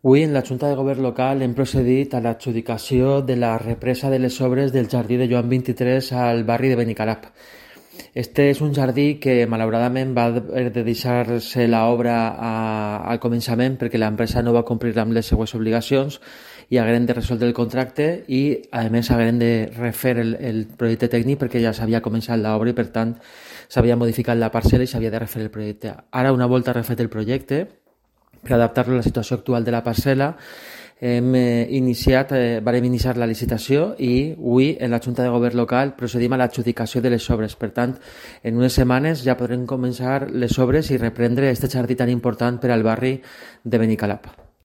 Avui, en la Junta de Govern local, hem procedit a l'adjudicació de la represa de les obres del jardí de Joan 23 al barri de Benicalap. Este és un jardí que, malauradament, va haver de deixar-se l'obra al començament perquè l'empresa no va complir amb les seues obligacions i hagueren de resoldre el contracte i, a més, hagueren de refer el projecte tècnic perquè ja s'havia començat l'obra i, per tant, s'havia modificat la parcel·la i s'havia de refer el projecte. Ara, una volta refet el projecte, per adaptar-lo a la situació actual de la parcel·la, varem iniciar la licitació i avui en la Junta de Govern local procedim a l'adjudicació de les obres. Per tant, en unes setmanes ja podrem començar les obres i reprendre aquest jardí tan important per al barri de Benicalap.